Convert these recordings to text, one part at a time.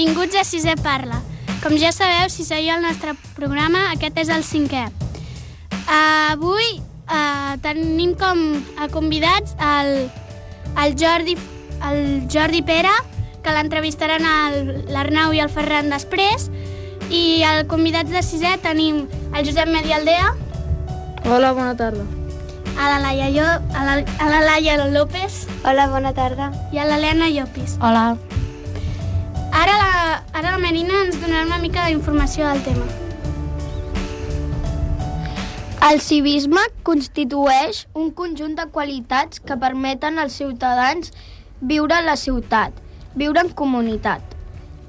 Benvinguts a Sisè Parla. Com ja sabeu, si seguiu el nostre programa, aquest és el 5è. Avui tenim com a convidats el Jordi Pere, que l'entrevistaran l'Arnau i el Ferran després, i els convidats de 6è tenim el Josep Medialdea. Hola, bona tarda. A la Laia López. Hola, bona tarda. I a l'Helena Llopis. Hola. Ara la Marina ens donarà una mica d'informació del tema. El civisme constitueix un conjunt de qualitats que permeten als ciutadans viure a la ciutat, viure en comunitat,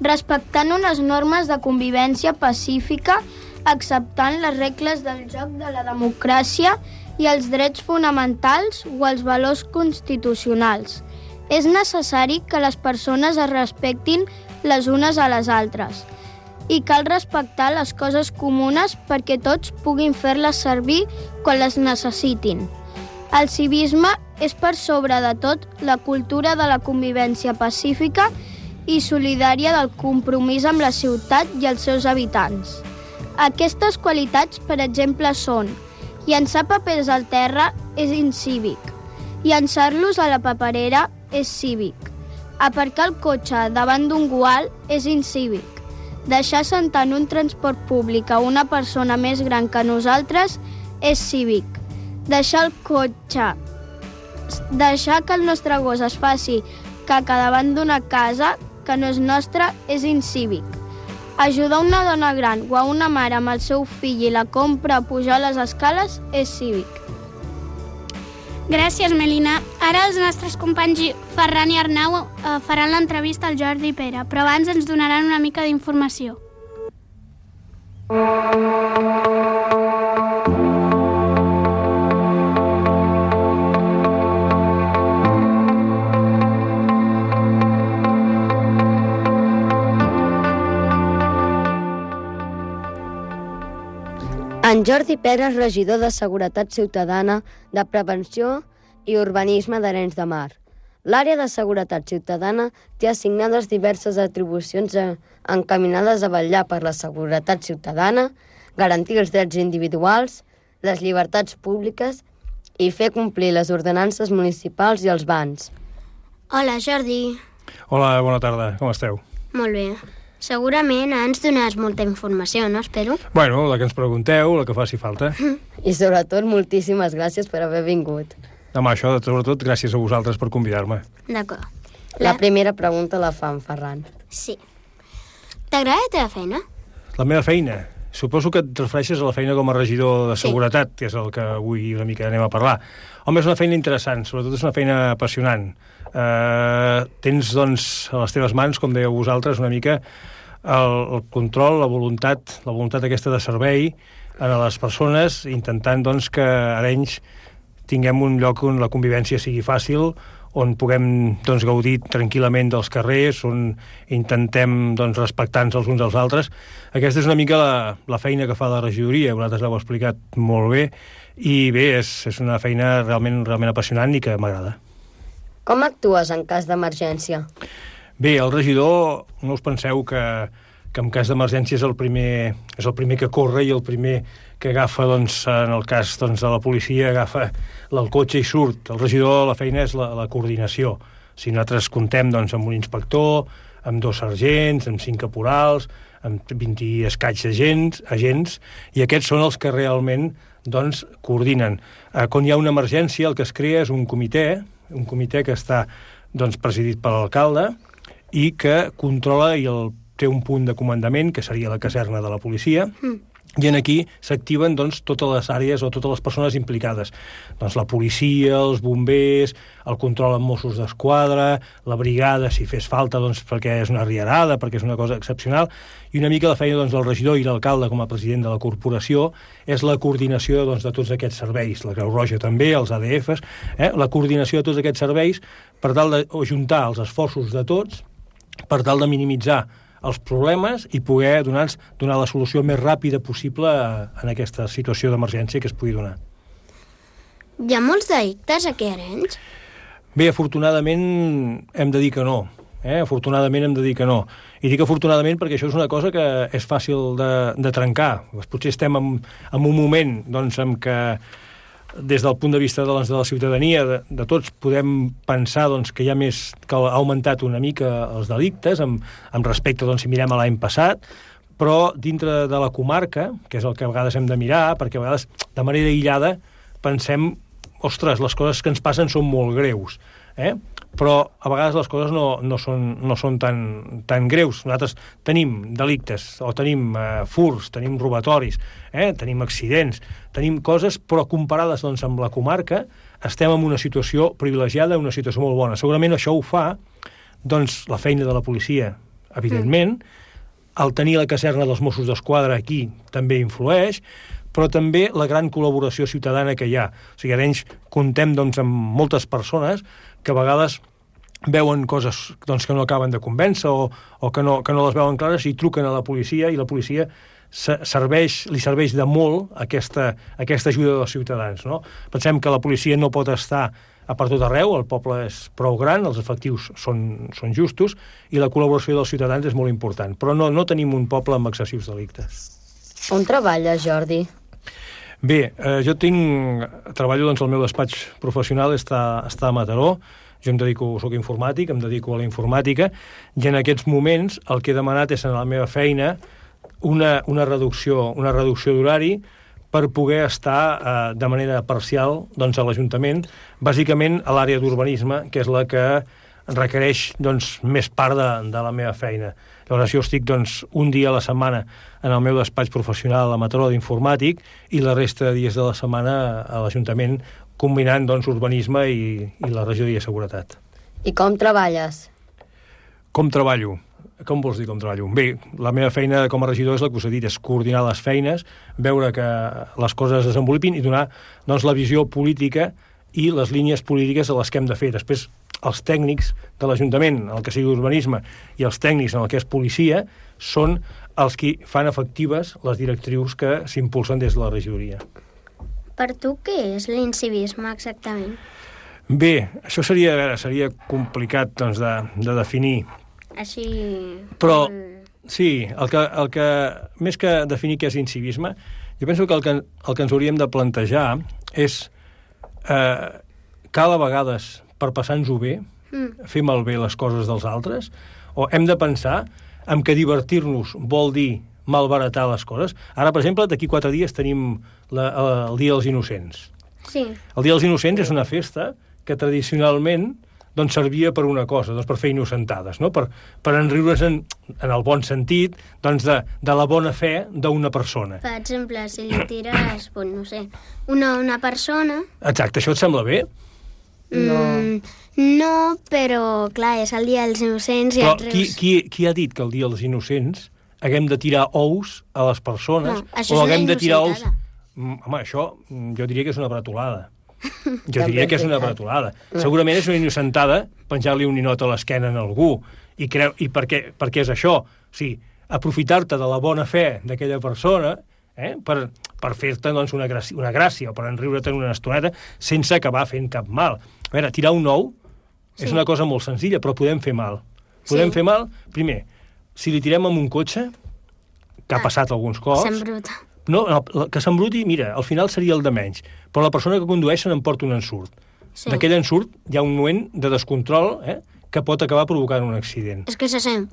respectant unes normes de convivència pacífica, acceptant les regles del joc de la democràcia i els drets fonamentals o els valors constitucionals. És necessari que les persones es respectin les unes a les altres i cal respectar les coses comunes perquè tots puguin fer-les servir quan les necessitin. El civisme és per sobre de tot la cultura de la convivència pacífica i solidària del compromís amb la ciutat i els seus habitants. Aquestes qualitats, per exemple, són: llançar papers al terra és incívic. Llançar-los a la paperera és cívic. Aparcar el cotxe davant d'un gual és incívic. Deixar sentar en un transport públic a una persona més gran que nosaltres és cívic. Deixar que el nostre gos es faci caca davant d'una casa que no és nostra és incívic. Ajudar una dona gran o a una mare amb el seu fill i la compra a pujar les escales és cívic. Gràcies, Melina. Ara els nostres companys Ferran i Arnau faran l'entrevista al Jordi Pere, però abans ens donaran una mica d'informació. En Jordi Pere és regidor de Seguretat Ciutadana, de Prevenció i Urbanisme d'Arenys de Mar. L'àrea de Seguretat Ciutadana té assignades diverses atribucions encaminades a vetllar per la seguretat ciutadana, garantir els drets individuals, les llibertats públiques i fer complir les ordenances municipals i els bans. Hola, Jordi. Hola, bona tarda. Com esteu? Molt bé. Segurament ens donaràs molta informació, no? Espero. Bueno, la que ens pregunteu, la que faci falta. I sobretot, moltíssimes gràcies per haver vingut. Home, això, sobretot, gràcies a vosaltres per convidar-me. D'acord. La primera pregunta la fa en Ferran. Sí. T'agrada la teva feina? La meva feina? Suposo que et refereixes a la feina com a regidor de seguretat, que és el que avui una mica anem a parlar. Home, és una feina interessant, sobretot és una feina apassionant. Tens, doncs, a les teves mans, com dèieu vosaltres, una mica el control, la voluntat aquesta de servei a les persones, intentant, doncs, que a Arenys tinguem un lloc on la convivència sigui fàcil, on puguem, doncs, gaudir tranquil·lament dels carrers, on intentem, doncs, respectar-nos els uns als altres. Aquesta és una mica la feina que fa la regidoria, vosaltres l'heu explicat molt bé, i bé, és una feina realment apassionant i que m'agrada. Com actues en cas d'emergència? Bé, el regidor, no us penseu que en cas d'emergència és el primer que corre i el primer que agafa, doncs, en el cas, doncs, de la policia, agafa el cotxe i surt. El regidor, la feina és la coordinació. Si nosaltres comptem, doncs, amb un inspector, amb 2 sergents, amb 5 caporals, amb 20 i escaig agents, i aquests són els que realment, doncs, coordinen. Quan hi ha una emergència, el que es crea és un comitè que està, doncs, presidit per l'alcalde i que controla i té un punt de comandament, que seria la caserna de la policia, i aquí s'activen, doncs, totes les àrees o totes les persones implicades. Doncs la policia, els bombers, el control amb Mossos d'Esquadra, la brigada, si fes falta, doncs, perquè és una riarada, perquè és una cosa excepcional, i una mica la feina, doncs, del regidor i l'alcalde com a president de la corporació és la coordinació, doncs, de tots aquests serveis, la Creu Roja també, els ADFs, la coordinació de tots aquests serveis per tal d'ajuntar els esforços de tots, per tal de minimitzar els problemes i poder donar la solució més ràpida possible en aquesta situació d'emergència que es pugui donar. Hi ha molts delictes aquí a Arenys? Bé, afortunadament hem de dir que no. Afortunadament hem de dir que no. I dic afortunadament perquè això és una cosa que és fàcil de trencar. Potser estem en un moment doncs, en què des del punt de vista de la ciutadania, de tots, podem pensar doncs, que que ha augmentat una mica els delictes, amb respecte, doncs, si mirem a l'any passat, però dintre de la comarca, que és el que a vegades hem de mirar, perquè a vegades, de manera aïllada, pensem, ostres, les coses que ens passen són molt greus, però a vegades les coses no són tan greus. Nosaltres tenim delictes, o tenim furts, tenim robatoris, tenim accidents, tenim coses, però comparades doncs, amb la comarca, estem en una situació privilegiada, una situació molt bona. Segurament això ho fa doncs, la feina de la policia, evidentment, el tenir la caserna dels Mossos d'Esquadra aquí també influeix, però també la gran col·laboració ciutadana que hi ha. O sigui, ara contem doncs, amb moltes persones que a vegades veuen coses doncs, que no acaben de convèncer o que no les veuen clares i truquen a la policia i la policia li serveix de molt aquesta ajuda dels ciutadans. No? Pensem que la policia no pot estar a per tot arreu, el poble és prou gran, els efectius són justos i la col·laboració dels ciutadans és molt important. Però no tenim un poble amb excessius delictes. On treballes, Jordi? Bé, jo treballo, doncs, el meu despatx professional està a Mataró, soc informàtic, em dedico a la informàtica, i en aquests moments el que he demanat és en la meva feina una reducció d'horari per poder estar de manera parcial doncs, a l'Ajuntament, bàsicament a l'àrea d'urbanisme, que és la que requereix doncs, més part de la meva feina. Llavors jo estic doncs, un dia a la setmana en el meu despatx professional a Mataró d'informàtic i la resta de dies de la setmana a l'Ajuntament combinant doncs, urbanisme i la regidoria de seguretat. I com treballes? Com treballo? Com vols dir com treballo? Bé, la meva feina com a regidor és la que us he dit, és coordinar les feines, veure que les coses es desenvolupin i donar doncs, la visió política i les línies polítiques a les que hem de fer. Després, els tècnics de l'Ajuntament, el que sigui urbanisme, i els tècnics en el que és policia, són els que fan efectives les directrius que s'impulsen des de la regidoria. Per tu, què és l'incivisme exactament? Bé, això seria complicat doncs, de definir. Així... Però, sí, el que més que definir què és incivisme, jo penso que el que ens hauríem de plantejar és cal a vegades, per passar-nos-ho bé, fer malbé les coses dels altres, o hem de pensar en que divertir-nos vol dir malbaratar les coses. Ara, per exemple, d'aquí 4 dies tenim el Dia dels Innocents. Sí. El Dia dels Innocents és una festa que tradicionalment doncs, servia per una cosa, doncs, per fer innocentades, no? per enriure's en el bon sentit doncs, de la bona fe d'una persona. Per exemple, si li tires, no sé, una persona... Exacte, això et sembla bé? No, però, clar, és el Dia dels Innocents i però et rius... qui ha dit que el Dia dels Innocents haguem de tirar ous a les persones? No, això és una innocentada. Home, això jo diria que és una bretolada. Jo diria que és una bretolada. Segurament és una innocentada penjar-li un ninot a l'esquena a algú. I per què és això? O sigui, aprofitar-te de la bona fe d'aquella persona per fer-te doncs, una gràcia o per enriure-te'n una estoneta sense acabar fent cap mal. A veure, tirar un ou és una cosa molt senzilla, però podem fer mal. Podem fer mal, primer, si li tirem amb un cotxe, que ha passat alguns cops... S'embruta. No, que s'embruti, mira, al final seria el de menys. Però la persona que condueix se n'emporta un ensurt. Sí. D'aquell ensurt hi ha un moment de descontrol que pot acabar provocant un accident. És que se sent.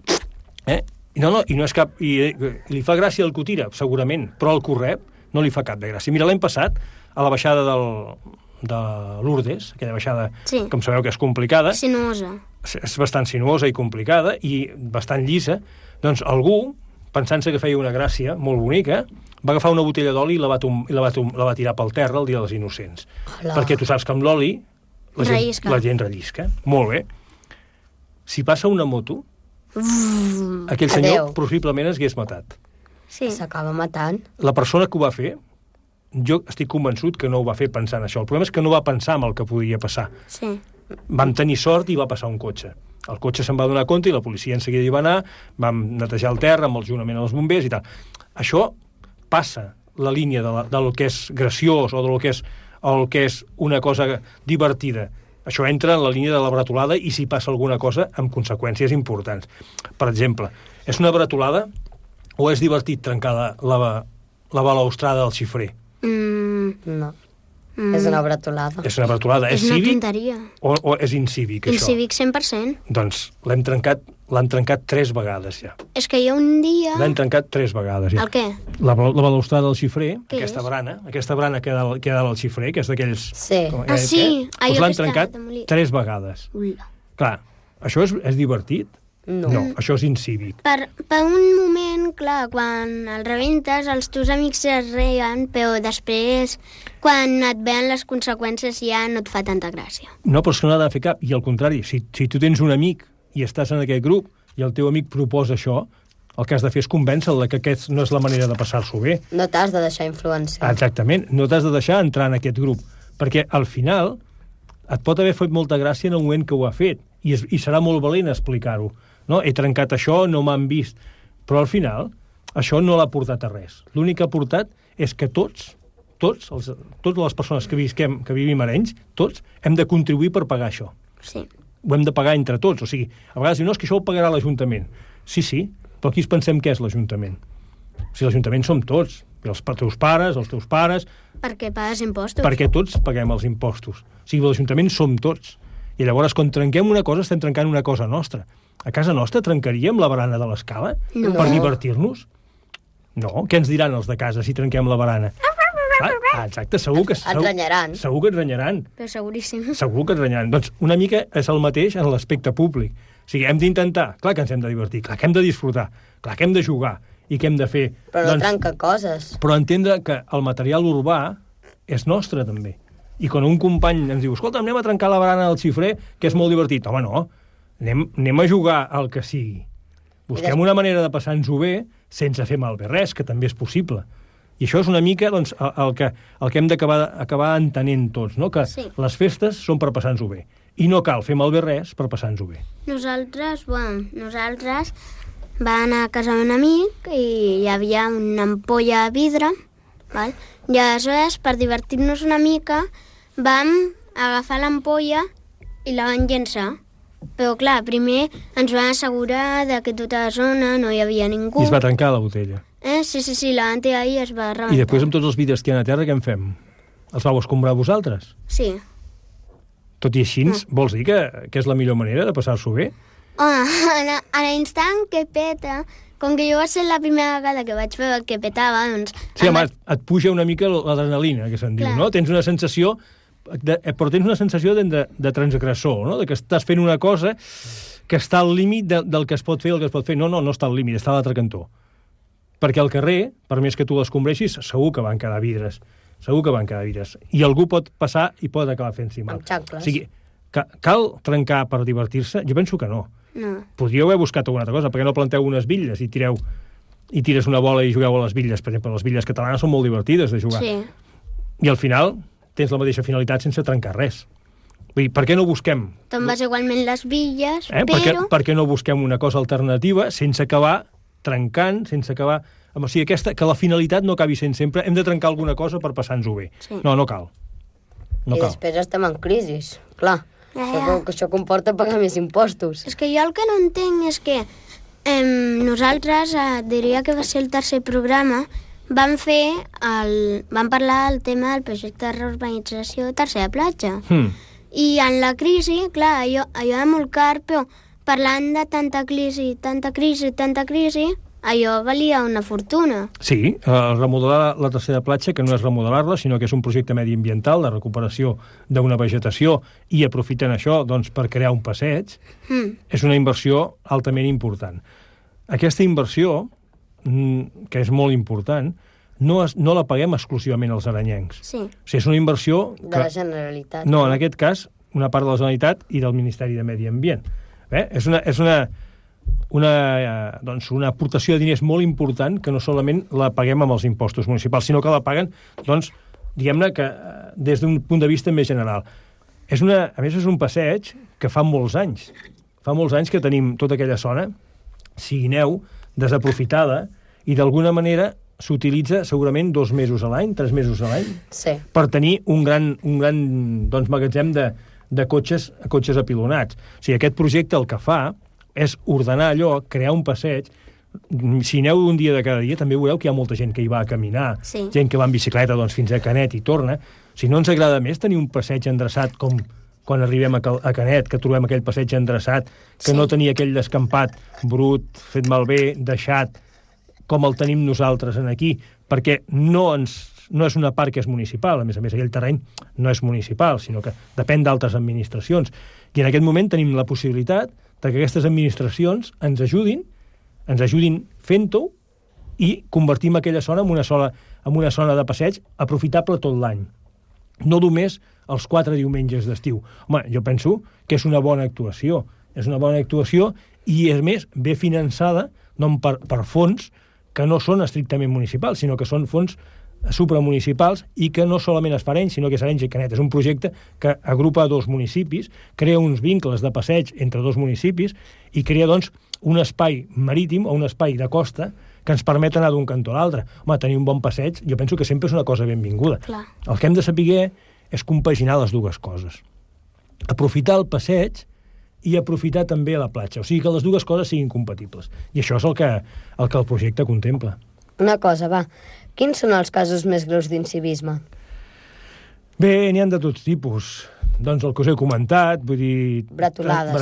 No, i no és cap... I li fa gràcia el que ho tira, segurament, però el que ho rep no li fa cap de gràcia. Mira, l'any passat, a la baixada de Lourdes, aquella baixada, com sabeu que és complicada... Sinuosa. És bastant sinuosa i complicada i bastant llisa. Doncs algú, pensant-se que feia una gràcia molt bonica, va agafar una botella d'oli i la va tirar pel terra el Dia dels Innocents. Hola. Perquè tu saps que amb l'oli la gent rellisca. Molt bé. Si passa una moto, aquell senyor possiblement es hagués matat. Sí. S'acaba matant. La persona que ho va fer, jo estic convençut que no ho va fer pensant això. El problema és que no va pensar en el que podia passar. Sí. Vam tenir sort i va passar un cotxe. El cotxe se'n va donar compte i la policia en seguida hi va anar, vam netejar el terra amb el juntament amb els bombers i tal. Això passa la línia del que és graciós o del que és una cosa divertida Això entra en la línia de la bretolada i si passa alguna cosa amb conseqüències importants. Per exemple, és una bretolada o és divertit trencar la balaustrada del xifrer? No. És una bretolada. És una bretolada. És una cívic tonteria. o és incívic, això? Incívic 100%. Doncs l'han trencat 3 vegades ja. És que jo un dia... L'han trencat 3 vegades ja. El què? La balaustrada del xifrer, Què aquesta és? brana que hi ha dalt al xifrer, que és d'aquells... Sí. Sí, allò doncs l'han que està trencat demolit. 3 vegades. Ula. Clar, això és divertit? No. Això és incívic. Per un moment, clar, quan el rebentes, els teus amics es reien, però després, quan et veuen les conseqüències, ja no et fa tanta gràcia. No, però és que no ha de fer cap. I al contrari, si tu tens un amic i estàs en aquest grup i el teu amic proposa això, el que has de fer és convèncer-lo que aquest no és la manera de passar-s'ho bé. No t'has de deixar influenciar. Exactament, no t'has de deixar entrar en aquest grup, perquè al final et pot haver fet molta gràcia en el moment que ho ha fet, i serà molt valent explicar-ho. No? He trencat això, no m'han vist. Però al final, això no l'ha portat a res. L'únic que ha portat és que totes les persones que vivim a Arenys, tots, hem de contribuir per pagar això. Sí. Ho hem de pagar entre tots. O sigui, a vegades diuen, no, és que això ho pagarà l'Ajuntament. Sí, però aquí ens pensem què és l'Ajuntament. O sigui, l'Ajuntament som tots. Els teus pares... Perquè pagues impostos. Perquè tots paguem els impostos. O sigui, l'Ajuntament som tots. I llavors, quan trenquem una cosa, estem trencant una cosa nostra. A casa nostra trencaríem la barana de l'escala per divertir-nos? No. Què ens diran els de casa si trenquem la barana? Exacte, segur que... Et renyaran. Segur que et renyaran. Però seguríssim. Segur que et renyaran. Doncs una mica és el mateix en l'aspecte públic. O sigui, hem d'intentar, clar que ens hem de divertir, clar que hem de disfrutar, clar que hem de jugar i que hem de fer... Però no trenca coses. Però entendre que el material urbà és nostre, també. I quan un company ens diu, escolta, anem a trencar la barana del xifrer, que és molt divertit. Home, no, anem a jugar al que sigui. Busquem una manera de passar-nos-ho bé sense fer malbé res, que també és possible. I això és una mica doncs, el que hem d'acabar entenent tots, no? Que sí. Les festes són per passar-nos-ho bé. I no cal fer malbé res per passar-nos-ho bé. Nosaltres vam anar a casa d'un amic i hi havia una ampolla de vidre, val? I aleshores, per divertir-nos una mica, vam agafar l'ampolla i la vam llençar. Però, clar, primer ens vam assegurar que tota la zona no hi havia ningú. I es va trencar la botella. Sí, la van tirar i es va rebentar. I després, amb tots els vidres que hi ha a terra, què en fem? Els vau escombrar vosaltres? Sí. Tot i així, vols dir que és la millor manera de passar-s'ho bé? Home, a l'instant que peta, com que jo va ser la primera vegada que vaig veure que petava, doncs... Sí, home, et puja una mica l'adrenalina, que se'n diu, no? Tens una sensació... Però tens una sensació de transgressor, no? De que estàs fent una cosa que està al límit del que es pot fer i el que es pot fer. No està al límit, està a l'altre cantó. Perquè al carrer, per més que tu l'escombreixis, segur que van quedar vidres. Segur que van quedar vidres. I algú pot passar i pot acabar fent-s'hi mal. Amb xancles. O sigui, cal trencar per divertir-se? Jo penso que no. No. Podríeu haver buscat alguna altra cosa. Per què no planteu unes bitlles i tires una bola i jugueu a les bitlles? Per exemple, les bitlles catalanes són molt divertides de jugar. Sí. I al final tens la mateixa finalitat sense trencar res. Vull dir, per què no busquem... Te'n vas igualment les bitlles, però... Per què no busquem una cosa alternativa sense acabar trencant, sense acabar... O sigui, que la finalitat no acabi sent sempre hem de trencar alguna cosa per passar-nos-ho bé. Sí. No cal. I després estem en crisi, clar. Això comporta pagar més impostos. És que jo el que no entenc és que nosaltres, diria que va ser el tercer programa, vam parlar del tema del projecte de reurbanització de Tercera Platja. I en la crisi, clar, allò era molt car, però parlant de tanta crisi, allò valia una fortuna. Sí, remodelar la Tercera Platja, que no és remodelar-la, sinó que és un projecte mediambiental de recuperació d'una vegetació i aprofitant això doncs, per crear un passeig, és una inversió altament important. Aquesta inversió, que és molt important, no la paguem exclusivament els arenyencs. Sí. O sigui, és una inversió... De la Generalitat. No, en aquest cas, una part de la Generalitat i del Ministeri de Medi Ambient. És una aportació de diners molt important que no solament la paguem amb els impostos municipals, sinó que la paguen, doncs, diguem-ne que des d'un punt de vista més general. A més, és un passeig que fa molts anys. Fa molts anys que tenim tota aquella zona, Siguineu, desaprofitada, i d'alguna manera s'utilitza segurament 2 mesos a l'any, 3 mesos a l'any, sí, per tenir un gran doncs, magatzem de de cotxes apilonats. O sigui, aquest projecte el que fa és ordenar allò, crear un passeig. Si aneu un dia de cada dia, també veureu que hi ha molta gent que hi va a caminar, gent que va en bicicleta fins a Canet i torna. Si no ens agrada més tenir un passeig endreçat com quan arribem a Canet, que trobem aquell passeig endreçat, que no tenia aquell descampat brut, fet malbé, deixat, com el tenim nosaltres aquí, perquè no és una part que és municipal, a més, aquell terreny no és municipal, sinó que depèn d'altres administracions. I en aquest moment tenim la possibilitat que aquestes administracions ens ajudin fent-ho i convertim aquella zona en una zona de passeig aprofitable tot l'any. No només els 4 diumenges d'estiu. Home, jo penso que és una bona actuació. És una bona actuació i, a més, ve finançada no per fons que no són estrictament municipals, sinó que són fons supramunicipals i que no solament es fa Arenys, sinó que és Arenys i Canet. És un projecte que agrupa 2 municipis, crea uns vincles de passeig entre 2 municipis i crea, doncs, un espai marítim o un espai de costa que ens permet anar d'un cantó a l'altre. Home, tenir un bon passeig, jo penso que sempre és una cosa benvinguda. Clar. El que hem de saber és compaginar les dues coses. Aprofitar el passeig i aprofitar també la platja. O sigui, que les dues coses siguin compatibles. I això és el que el projecte contempla. Una cosa, va. Quins són els casos més greus d'incivisme? Bé, n'hi ha de tots tipus. Doncs el que us he comentat, vull dir... Bretolades,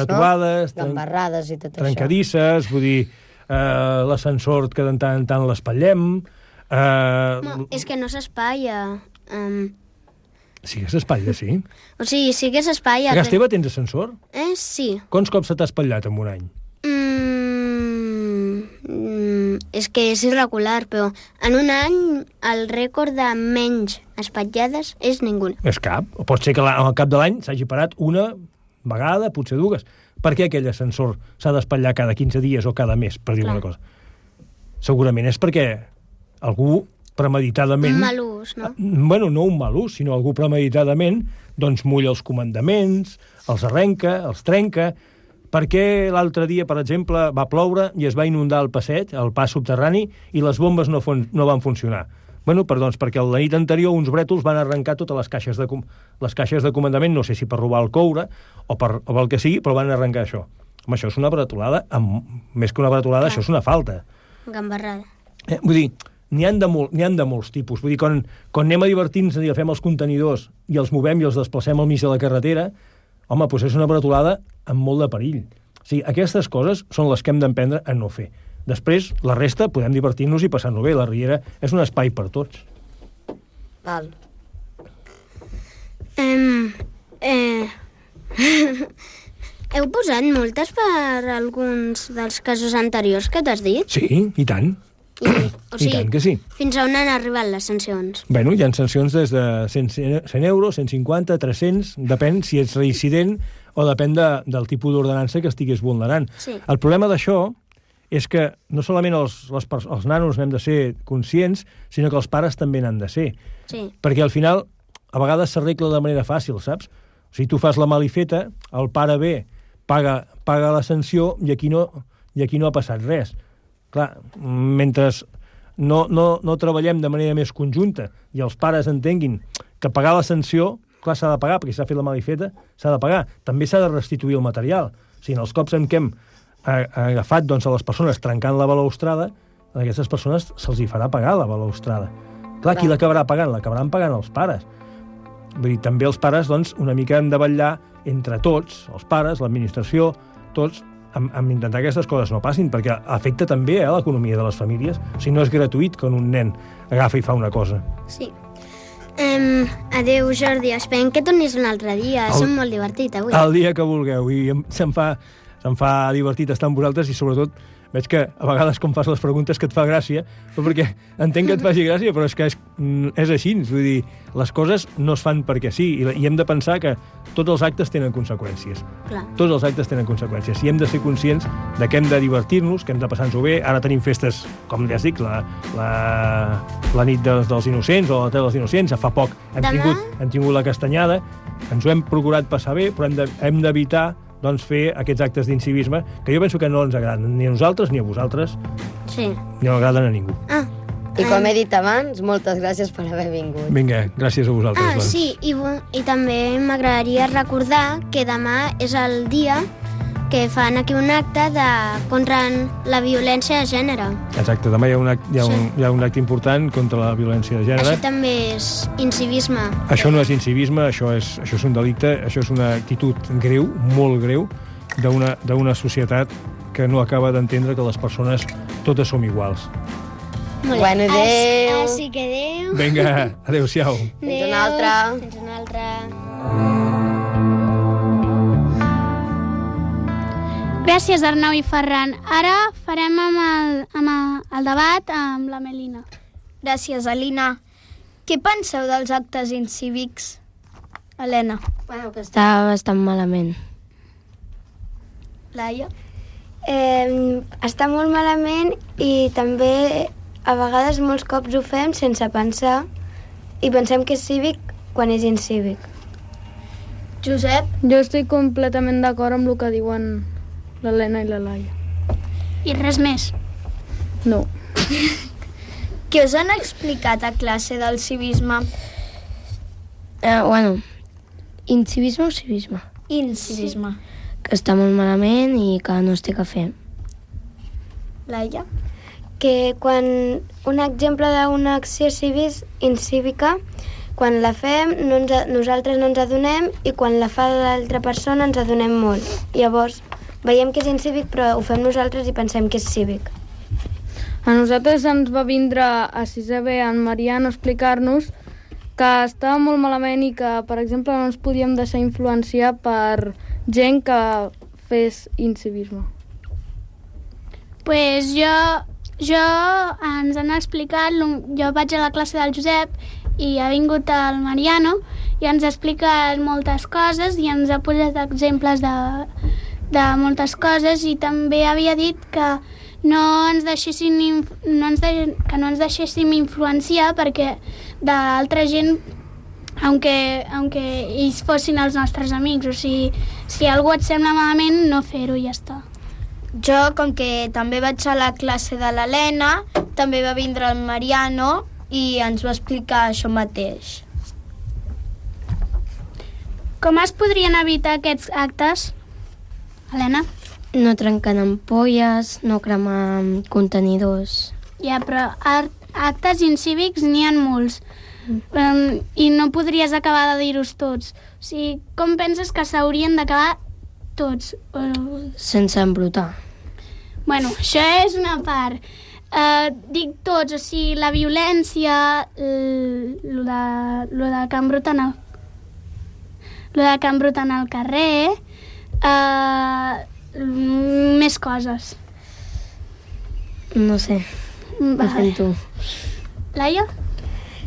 no? Gambarrades i tot això. Trencadisses, vull dir, l'ascensor que de tant en tant l'espatllem... No, és que no s'espatlla. Sí que s'espatlla, sí. O sigui, sí que s'espatlla. A casa teva tens ascensor? Sí. Quants cops se t'ha espatllat en un any? És que és irregular, però en un any el rècord de menys espatllades és ninguna. És cap. O pot ser que al cap de l'any s'hagi parat una vegada, potser 2. Per què aquell ascensor s'ha d'espatllar cada 15 dies o cada mes, per dir una cosa? Segurament és perquè algú premeditadament... Un mal ús, no? Bueno, no un mal ús, sinó algú premeditadament doncs mulla els comandaments, els arrenca, els trenca... Perquè l'altre dia, per exemple, va ploure i es va inundar el passeig, el pas subterrani, i les bombes no van funcionar. Bueno, perquè la nit anterior uns brètols van arrencar totes les caixes de comandament, no sé si per robar el coure o per el que sigui, però van arrencar això. Home, això és una bretolada, més que una bretolada, això és una falta. Gambarrada. Vull dir, n'hi ha de molts tipus. Vull dir, quan anem a divertir-nos i fem els contenidors i els movem i els desplacem al mig de la carretera, home, doncs és una bretolada amb molt de perill. O sigui, aquestes coses són les que hem d'aprendre a no fer. Després, la resta, podem divertir-nos i passar-nos bé. La Riera és un espai per tots. Val. Heu posat multes per alguns dels casos anteriors que t'has dit? Sí, i tant. O sigui, I tant que sí. Fins a on han arribat les sancions? Bueno, hi ha sancions des de 100 euros, 150, 300, depèn si ets reincident o depèn del tipus d'ordenança que estigués vulnerant. Sí. El problema d'això és que no solament els nanos n'hem de ser conscients, sinó que els pares també n'han de ser. Sí. Perquè al final, a vegades s'arregla de manera fàcil, saps? O sigui, tu fas la malifeta, el pare ve, paga la sanció i aquí no ha passat res. Clar, mentre no treballem de manera més conjunta i els pares entenguin que pagar la sanció, clar, s'ha de pagar, perquè s'ha fet la malifeta, s'ha de pagar. També s'ha de restituir el material. O sigui, en els cops en què hem agafat doncs, a les persones trencant la balustrada, a aquestes persones se'ls hi farà pagar la balustrada. Clar, qui l'acabarà pagant? L'acabaran pagant els pares. Vull dir, també els pares, doncs, una mica hem de vetllar entre tots, els pares, l'administració, tots, amb intentar que aquestes coses no passin, perquè afecta també l'economia de les famílies. O sigui, no és gratuït quan un nen agafa i fa una cosa. Sí. Adéu, Jordi. Esperem que tornis un altre dia. Som molt divertit, avui. El dia que vulgueu. I se'm fa divertit estar amb vosaltres i, sobretot, veig que a vegades com fas les preguntes que et fa gràcia, però perquè entenc que et faci gràcia, però és que és així. Vull dir, les coses no es fan perquè sí, i hem de pensar que tots els actes tenen conseqüències. Clar. Tots els actes tenen conseqüències. I hem de ser conscients de que hem de divertir-nos, que hem de passar-nos-ho bé. Ara tenim festes, com ja dic, la nit dels innocents o la tele dels innocents. Fa poc hem tingut la castanyada. Ens ho hem procurat passar bé, però hem d'evitar doncs fer aquests actes d'incivisme que jo penso que no ens agraden ni a nosaltres ni a vosaltres. Sí. No agraden a ningú. I com he dit abans, moltes gràcies per haver vingut. Vinga, gràcies a vosaltres. doncs. Sí, i també m'agradaria recordar que demà és el dia que fan aquí un acte contra la violència de gènere. Exacte, demà hi ha un acte important contra la violència de gènere. Això també és incivisme. Això no és incivisme, això és un delicte, això és una actitud greu, molt greu, d'una societat que no acaba d'entendre que les persones totes som iguals. Molt bé. Bueno, adéu. Així que adéu. Vinga, adéu-siau. Fins una altra. Fins una altra. Gràcies, Arnau i Ferran. Ara farem amb el debat amb la Melina. Gràcies, Alina. Què penseu dels actes incívics, Helena? Bueno, que està bastant malament. Laia? Està molt malament i també a vegades molts cops ho fem sense pensar i pensem que és cívic quan és incívic. Josep? Jo estic completament d'acord amb el que diuen l'Helena i la Laia. I res més. No. Què us han explicat a classe del civisme? Incivisme o civisme? Incivisme. Que està molt malament i que no es té que fer. Laia? Que quan un exemple d'una acció incívica, quan la fem nosaltres no ens adonem i quan la fa l'altra persona ens adonem molt. Llavors veiem que és incívic però ho fem nosaltres i pensem que és cívic. A nosaltres ens va vindre a 6è B en Mariano a explicar-nos que estava molt malament i que, per exemple, no ens podíem deixar influenciar per gent que fes incivisme. Pues jo ens han explicat, jo vaig a la classe del Josep i ha vingut el Mariano i ens ha explicat moltes coses i ens ha posat exemples de moltes coses i també havia dit que no ens deixéssim influenciar perquè d'altra gent, aunque ells fossin els nostres amics, o sigui, si algú et sembla malament, no fer-ho i ja està. Jo, com que també vaig a la classe de l'Helena, també va vindre el Mariano i ens va explicar això mateix. Com es podrien evitar aquests actes, Helena? No trencant ampolles, no cremar contenidors. Ja, però actes incívics n'hi ha molts. I no podries acabar de dir-los tots. O sigui, com penses que s'haurien d'acabar tots? Sense embrutar. Bueno, això és una part. Dic tots, o sigui, la violència, lo de que embruten al carrer, més coses. No sé, ho sento. Laia?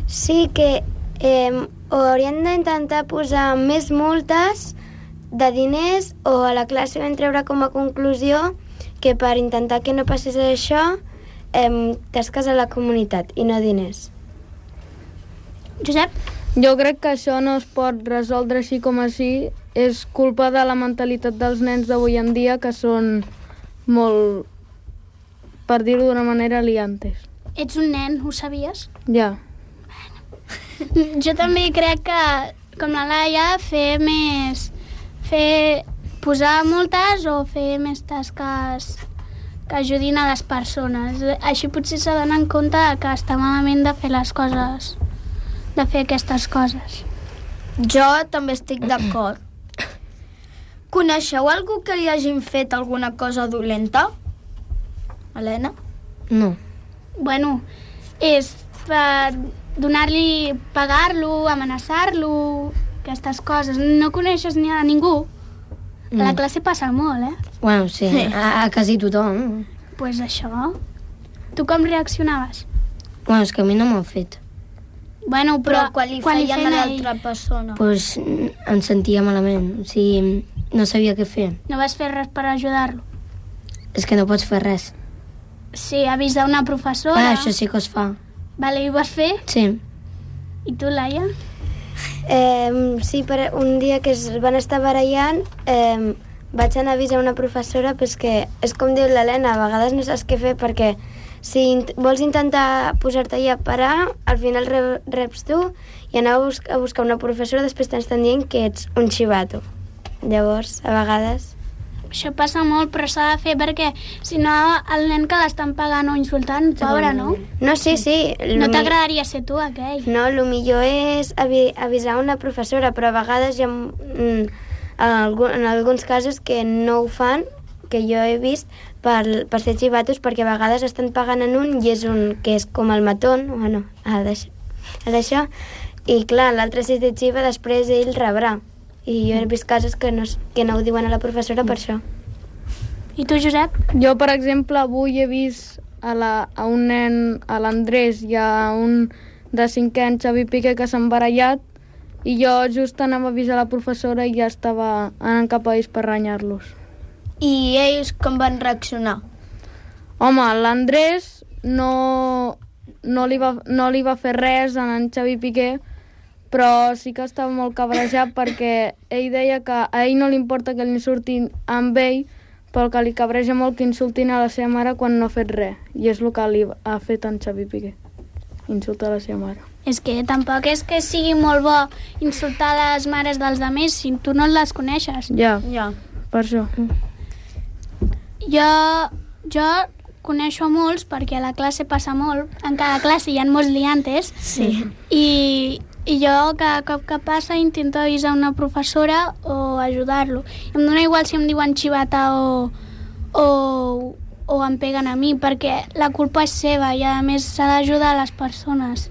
Sí que haurien d'intentar posar més multes de diners o a la classe vam treure com a conclusió que per intentar que no passés això tasques a la comunitat i no diners. Josep? Jo crec que això no es pot resoldre així com així. És culpa de la mentalitat dels nens d'avui en dia que són molt, per dir-ho d'una manera, liantes. Ets un nen, ho sabies? Ja. Jo també crec que, com la Laia, posar multes o fer més tasques que ajudin a les persones. Així potser s'adonen compte que està malament de fer les coses, de fer aquestes coses. Jo també estic d'acord. Coneixeu algú que li hagin fet alguna cosa dolenta? Helena? No. Bueno, és per donar-li, pagar-lo, amenaçar-lo, aquestes coses. No coneixes ni a ningú? A la classe passa molt, Bueno, sí, a quasi tothom. Pues això. Tu com reaccionaves? Bueno, és que a mi no m'ho fet. Bueno, Però quan li feien a l'altra persona. Pues em sentia malament, o sigui, no sabia què fer. No vas fer res per ajudar-lo? És que no pots fer res. Sí, avisar una professora. Això sí que es fa. Vale, i ho vas fer? Sí. I tu, Laia? Sí, un dia que es van estar barallant vaig anar a avisar una professora però és que és com diu l'Helena, a vegades no saps què fer perquè si vols intentar posar-te allà a parar, al final reps tu i anar a buscar una professora, després t'estan dient que ets un xivato. Llavors, a vegades... Això passa molt, però s'ha de fer perquè si no el nen que l'estan pagant o insultant, pobre, no? No, sí. No t'agradaria ser tu, aquell. No, el millor és avisar una professora, però a vegades hi ha en alguns casos que no ho fan, que jo he vist per ser xivatos, perquè a vegades estan pagant en un i és un que és com el matón, bueno, d'això, i clar, l'altre si és de xiva, després ell rebrà. I jo he vist casos que no ho diuen a la professora per això. I tu, Josep? Jo, per exemple, avui he vist a un nen, a l'Andrés, i a un de 5è any, Xavi Piqué, que s'han barallat, i jo just anava a avisar la professora i ja estava anant cap a ells per renyar-los. I ells com van reaccionar? Home, l'Andrés no li va fer res a en Xavi Piqué, però sí que estava molt cabrejat perquè ell deia que a ell no li importa que l'insultin amb ell, però que li cabreja molt que insultin a la seva mare quan no ha fet res. I és el que li ha fet en Xavi Piqué, insultar la seva mare. És que tampoc és que sigui molt bo insultar les mares dels altres si tu no les coneixes. Ja, per això. Jo coneixo molts perquè a la classe passa molt. En cada classe hi ha molts liantes. Sí. I jo cada cop que passa intento avisar una professora o ajudar-lo. Em dona igual si em diuen xivata o em peguen a mi, perquè la culpa és seva i a més s'ha d'ajudar a les persones.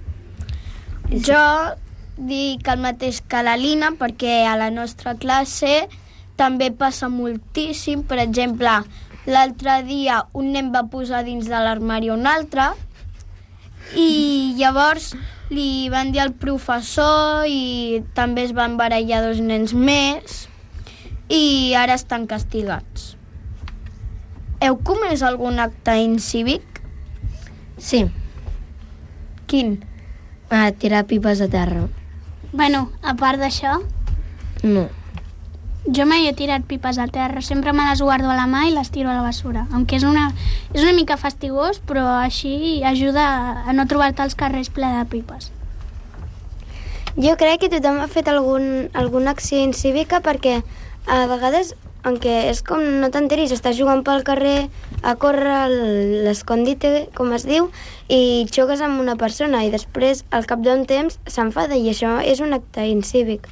Jo dic el mateix que la Lina, perquè a la nostra classe també passa moltíssim. Per exemple, l'altre dia un nen va posar dins de l'armari un altre i llavors li van dir al professor i també es van barallar 2 nens més i ara estan castigats. Heu comès algun acte incívic? Sí. Quin? Tirar pipes a terra. Bueno, a part d'això, No. jo mai he tirat pipes a terra, sempre me les guardo a la mà i les tiro a la bessura. Aunque és una mica fastigós, però així ajuda a no trobar-te als carrers ple de pipes. Jo crec que tothom ha fet alguna acció incívica perquè a vegades, aunque és com no t'enteris, estàs jugant pel carrer a córrer l'escondite, com es diu, i xoques amb una persona i després al cap d'un temps s'enfada i això és un acte incívic.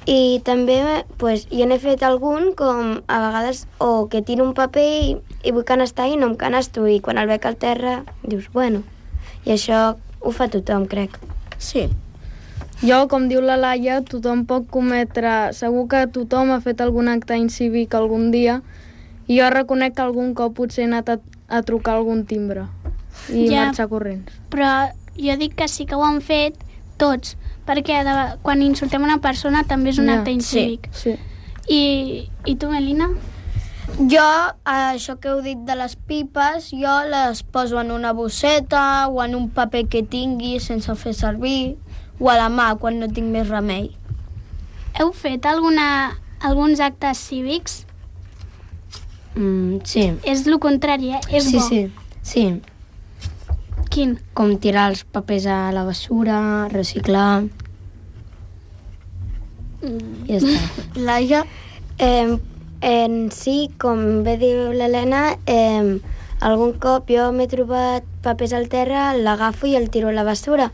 I també jo n'he fet algun com a vegades o que tiro un paper i vull canestar i no em canesto i quan el veig al terra dius, bueno, i això ho fa tothom, crec. Sí. Jo, com diu la Laia, tothom pot cometre... Segur que tothom ha fet algun acte incívic algun dia i jo reconec que algun cop potser he anat a trucar algun timbre i marxar corrents. Però jo dic que sí que ho han fet tots, perquè quan insultem una persona també és un acte incívic. Sí. I tu, Melina? Jo, això que heu dit de les pipes, jo les poso en una bosseta o en un paper que tingui sense fer servir, o a la mà quan no tinc més remei. Heu fet alguns actes cívics? Sí. És el contrari, És bo. Sí. Quin? Com tirar els papers a la bessura, reciclar... Ja està. Laia? Sí, com bé diu l'Helena, algun cop jo m'he trobat papers al terra, l'agafo i el tiro a la bessura.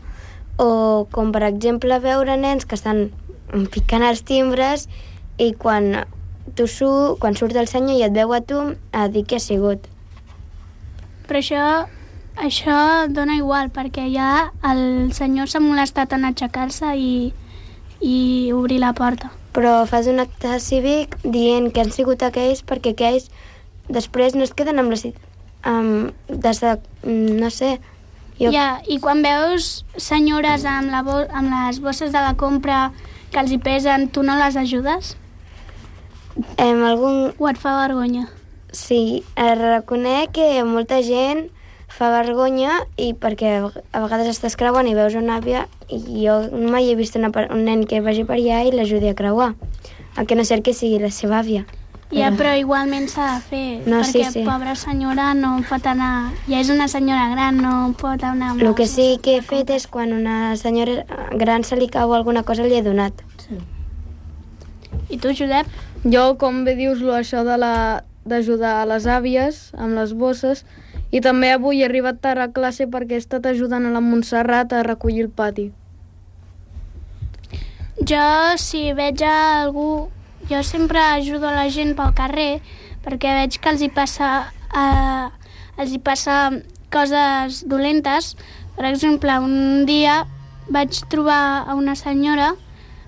O com per exemple veure nens que estan picant els timbres i quan surt el senyor i et veu a tu, a dir què ha sigut. Però això dona igual, perquè ja el senyor s'ha molestat en aixecar-se i obrir la porta. Però fas un acte cívic dient que han sigut aquells perquè aquells després no es queden amb la... no sé... I quan veus senyores amb les bosses de la compra que els hi pesen, tu no les ajudes? O et fa vergonya? Sí, reconec que molta gent fa vergonya i perquè a vegades estàs creuant i veus una àvia i jo mai he vist un nen que vagi per allà i l'ajudi a creuar, el que no ser que sigui la seva àvia. Ja, però igualment s'ha de fer, No, perquè sí. pobra senyora no pot anar... Ja és una senyora gran, no pot anar... amb El les que sí bosses. que he fet és quan una senyora gran se li cau alguna cosa li he donat. I tu, Josep? Jo, com bé dius, això d'ajudar a les àvies amb les bosses, i també avui he arribat tard a classe perquè he estat ajudant a la Montserrat a recollir el pati. Jo, si veig a algú... Jo sempre ajudo a la gent pel carrer perquè veig que els hi passa coses dolentes. Per exemple, un dia vaig trobar a una senyora,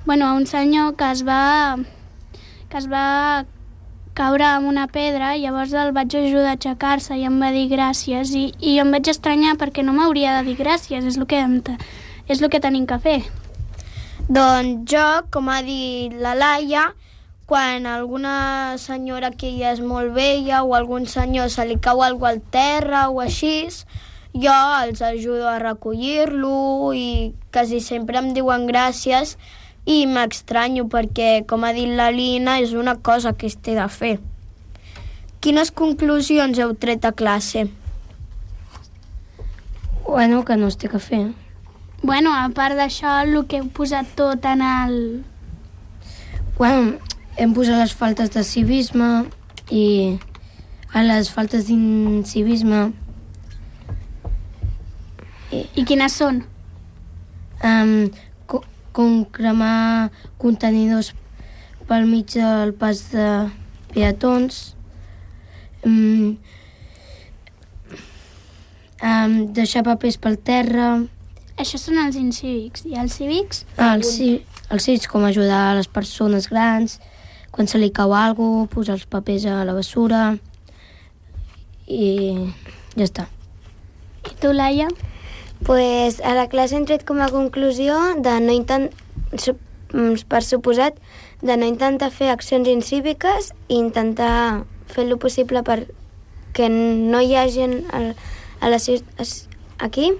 a un senyor que es va caure amb una pedra, i llavors el vaig ajudar a aixecar-se i em va dir gràcies. I jo em vaig estranyar perquè no m'hauria de dir gràcies, és el que tenim que fer. Doncs jo, com ha dit la Laia, quan alguna senyora que ja és molt vella o algun senyor se li cau alguna cosa al terra o així, jo els ajudo a recollir-lo i quasi sempre em diuen gràcies i m'estranyo perquè, com ha dit la Lina, és una cosa que es té de fer. Quines conclusions heu tret a classe? Bueno, que no es té que fer. A part d'això, el que heu posat tot en el... Bueno, hem posat les faltes de civisme i a les faltes d'incivisme I quines són? com cremar contenidors pel mig del pas de peatons, deixar papers pel terra. Això són els incívics. I els cívics? Els cívics, com ajudar a les persones grans, quan se li cau alguna cosa, posar els papers a la bessura i ja està. I tu, Laia? Pues a la classe hem tret com a conclusió de no per suposat, de no intentar fer accions incíviques i intentar fer el possible perquè no hi ha gent aquí.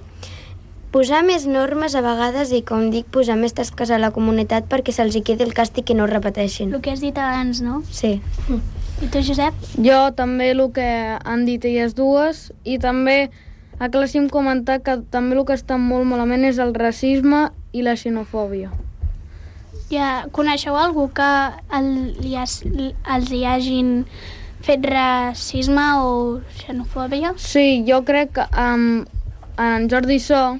Posar més normes a vegades i, com dic, posar més tasques a la comunitat perquè se'ls hi quedi el càstig i no ho repeteixin. El que has dit abans, no? Sí. I tu, Josep? Jo també el que han dit elles dues, i també a classe hem comentat que també el que està molt malament és el racisme i la xenofòbia. Ja coneixeu algú que els hi hagin fet racisme o xenofòbia? Sí, jo crec que en Jordi So,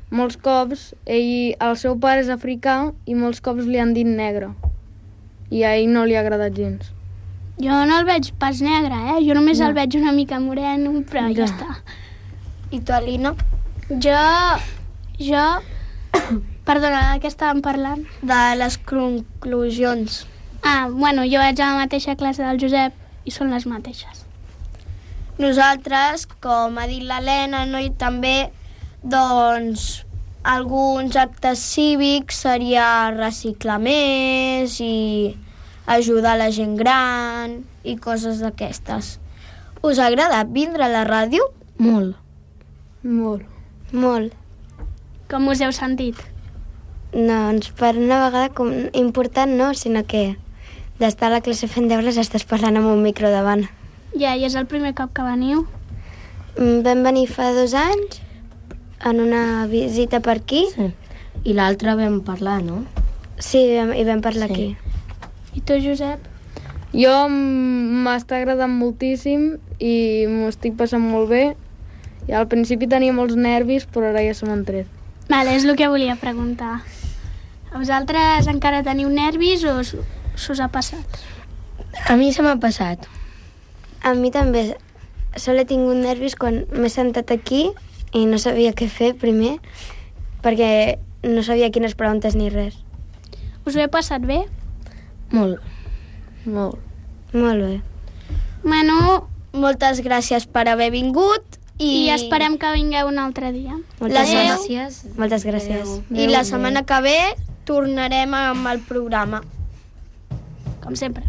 molts cops, el seu pare és africà i molts cops li han dit negre. I a ell no li ha agradat gens. Jo no el veig pas negre, Jo només el veig una mica moreno, però ja està. I tu, Alina? Jo... Perdona, de què estàvem parlant? De les conclusions. Jo vaig a la mateixa classe del Josep i són les mateixes. Nosaltres, com ha dit l'Helena, i també, doncs, alguns actes cívics seria reciclar més i ajudar la gent gran i coses d'aquestes. Us ha agradat vindre a la ràdio? Molt. Molt. Molt. Com us heu sentit? Doncs per una vegada important no, sinó que d'estar a la classe fent deures estàs parlant amb un micro davant. Ja, i és el primer cop que veniu? Vam venir fa 2 anys en una visita per aquí. Sí. I l'altre vam parlar, no? Sí, i vam parlar aquí. I tu, Josep? Jo m'està agradant moltíssim i m'ho estic passant molt bé. I al principi tenia molts nervis, però ara ja se m'han tret. Vale, és el que volia preguntar. A vosaltres encara teniu nervis o s'us ha passat? A mi se m'ha passat. A mi també. Sol he tingut nervis quan m'he sentat aquí i no sabia què fer primer, perquè no sabia quines preguntes ni res. Us ho he passat bé? Molt. Molt. Molt bé. Bueno, Moltes gràcies per haver vingut i esperem que vingueu un altre dia. Moltes Adéu. gràcies. Moltes gràcies. I la setmana que ve tornarem amb el programa. Com sempre.